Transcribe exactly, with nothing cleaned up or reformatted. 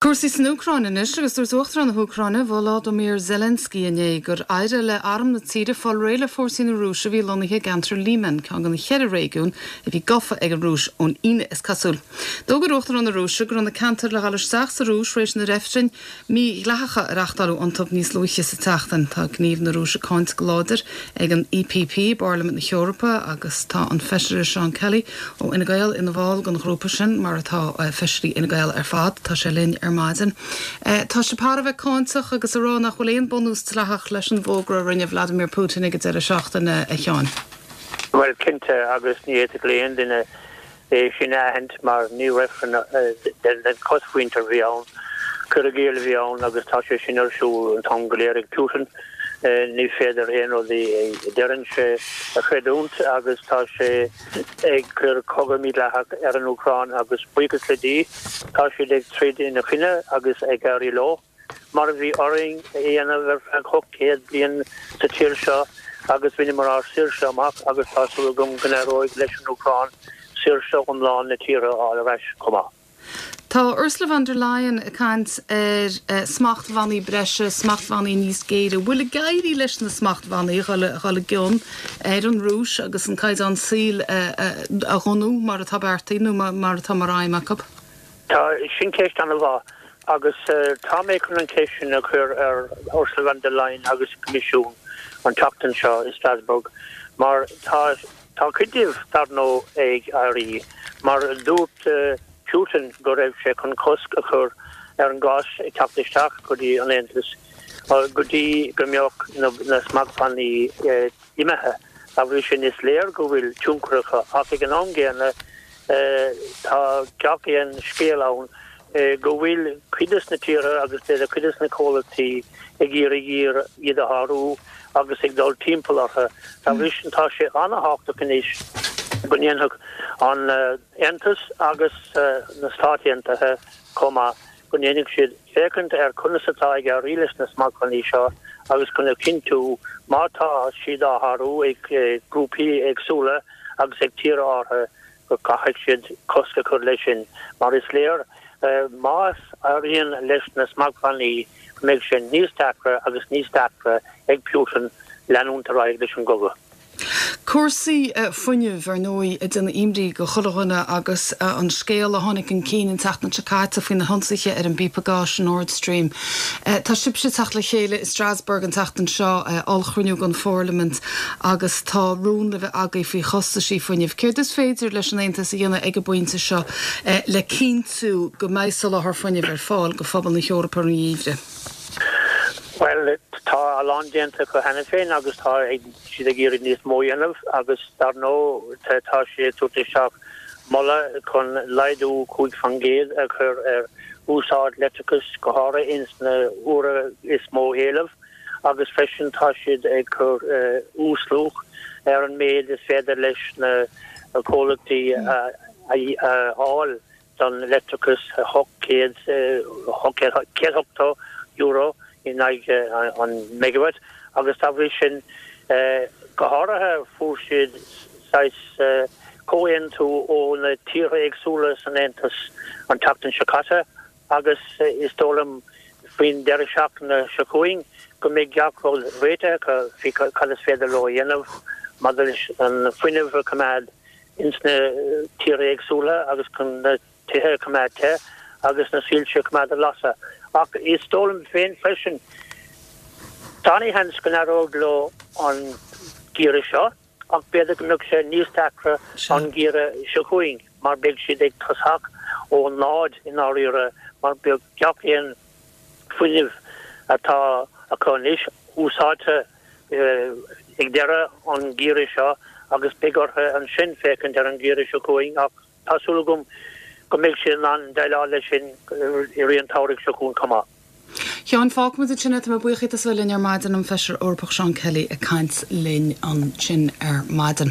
Cúrsaí san Úcráin anois agus dúirt Uachtarán na hÚcráine Volodymyr Zelensky inné gur éirigh le arm na tíre fáil réidh le fórsaí na Rúise a bhí lonnaithe i gceantar Lyman ceann de na ceithre réigiún a bhí gafa ag an Rúis ón Aoine is cosúil. D'fhógair Uachtarán na Rúise go raibh na ceantair le dhul isteach sa Rúis tar éis na reifrinn mídhleathacha a reáchtáladh iontu níos luaithe sa tseachtain. Tá gníomh na Rúise cáinte go láidir ag an E P P i bParlaimint na hEorpa agus tá an feisire Seán Kelly ó Fhine Gael ina bhall den ghrúpa sin mar atá eh, feisirí Fhine Gael ar fad. Tá sé linn ar maidin. Eh, tá sé thar a bheith cáinteach agus a rá nach bhfuil aon bunús dleathach leis an bhfógra a rinne Vladimir Putin ag an deireadh seachtaine, a Sheáin. Well cinnte agus ní fhéadfadh le aon duine é sin a aithint mar ní reifreann den chosmhuintir a bhí ann. Cur i gcéill a bhí ann agus tá sé sin ar siúl an t-am go léir ag Putin. Ní féidir aon rud a deireann sé a chreidiúint agus tá sé ag cur cogadh mídhleathach ar an Úcráin agus buíochas le Dia tá siad ag troid ina choinne agus ag éirí leo. Mar a bhí orainn a dhéanamh ar feadh céad bliain sa tír seo agus bhaineamar ár saoirse amach agus tá súil agam go n-éireoidh leis an Úcráin saoirse iomlán na tíre a fháil ar ais chomh maith. Tá Ursula von der Leyen ag caint ar uh, smachtbhannaí breise, smachtbhannaí níos géire, bhfuil ag éirí leis na smachtbhannaí dhul i gcion ar an Rúis agus an caighdeán saoil uh, uh, a dhónú mar atá beartaithe nó mar atá mar aidhm acu. Tá sin ceist an-mhaith agus uh, tá mé chun an ceist sin a chur ar Ursula von der Leyen agus Coimisiún an tseachtain seo i Strasbourg mar tá tá cuid díobh dar ndóigh ag éirí mar dúirt uh, Putin go raibh sé chun cosc a chur ar an gás ag teacht isteach go dtí an Aontas go dtí go mbeadh na, na smachtbhannaí eh, imithe a bhí sin is léir go bhfuil tionchar acu ach ag an am gcéanna eh, tá gach aon scéal ann eh, go bhfuil cuid de na tíortha agus de cuid de na comhlachtaí ag iarraidh iad a shárú agus ag dul timpeall orthu. Tá bhí sin tá sé an-tábhachtach anois go ndéanfadh an Aontas agus uh, na Stáit Aontaithe chomh maith go ndéanfadh siad féachaint ar conas atá ag éirí leis na smachtbhannaí seo agus chun a chinntiú má tá siad á sárú ag grúpaí éagsúla agus ag tíortha áirithe go gcaithfidh siad cosc a chur leis sin mar is léir uh, más éiríonn leis na smachtbhannaí mbeidh sé níos deacra agus níos deacra ag Putin leanúint ar aghaidh leis an gcogadh. Cúrsaí uh, fuinnimh ar ndóigh ag déanamh imní do chuile dhuine agus uh, an scéal a tháinig chun cinn an tseachtain seo caite faoi na hionsaithe ar an bpíopa gáis Nord Stream. Uh, tá sibhse ag teacht le chéile i Strasbourg an tseachtain seo uh, ollchruinniú an Pharlaimint agus tá rún le bheith agaibh faoi chostaisí fuinnimh. Céard is féidir leis an Aontas a dhéanamh ag an bpointe seo uh, le cinntiú go mbeidh soláthar fuinnimh ar fáil go phobal na hEorpa an gheimhreadh. Well tá a lán déanta acu cheana féin agus tá siad ag iarraidh níos mó a dhéanamh agus dar ndóigh tá sé isteach moladh chun laghdú cúig faoin gcéad a chur ar úsáid leictreachais go háirithe ins na huaireanta is mó éileamh agus freisin tá siad ag cur uh, uasluach ar an méid is féidir leis na comhlachtaí a fháil don leictreachas céad euro in aghaidh an megawatt agus tá bhí sin go háirithe fuair siad comhaontú ó na tíortha éagsúla san Aontas an tseachtain seo caite agus is dóigh liom faoin deireadh seachtaine seo chugainn go mbeidh gach rud réitithe faoi cad is féidir leo a dhéanamh maidir leis an fuinneamh a choimeád ins na tíortha éagsúla agus chun na tithe a choimeád te agus na soilse a choimeád ag lasadh. Ach is dóigh liom féin freisin tá seans go n-éireoidh leo an geimhreadh seo ach b'fhéidir go mbeadh sé níos deacra an geimhreadh seo chugainn mar beidh siad ag tosach ó náid in áirithe mar beidh gach aon fuinneamh atá acu anois úsáidte ag deireadh an gheimhridh seo agus beidh orthu ansin féachaint ar an gheimhreadh seo chugainn ach tá súil agam go mbeidh sé an déileáil leis sin i rith an tsamhraidh seo chugainn chomh maith. Sheáin, fágfaimid ansin é. Tá mé buíoch as a bheith linn ar maidin, an Feisire Eorpach Seán Kelly ag caint linn ansin ar maidin.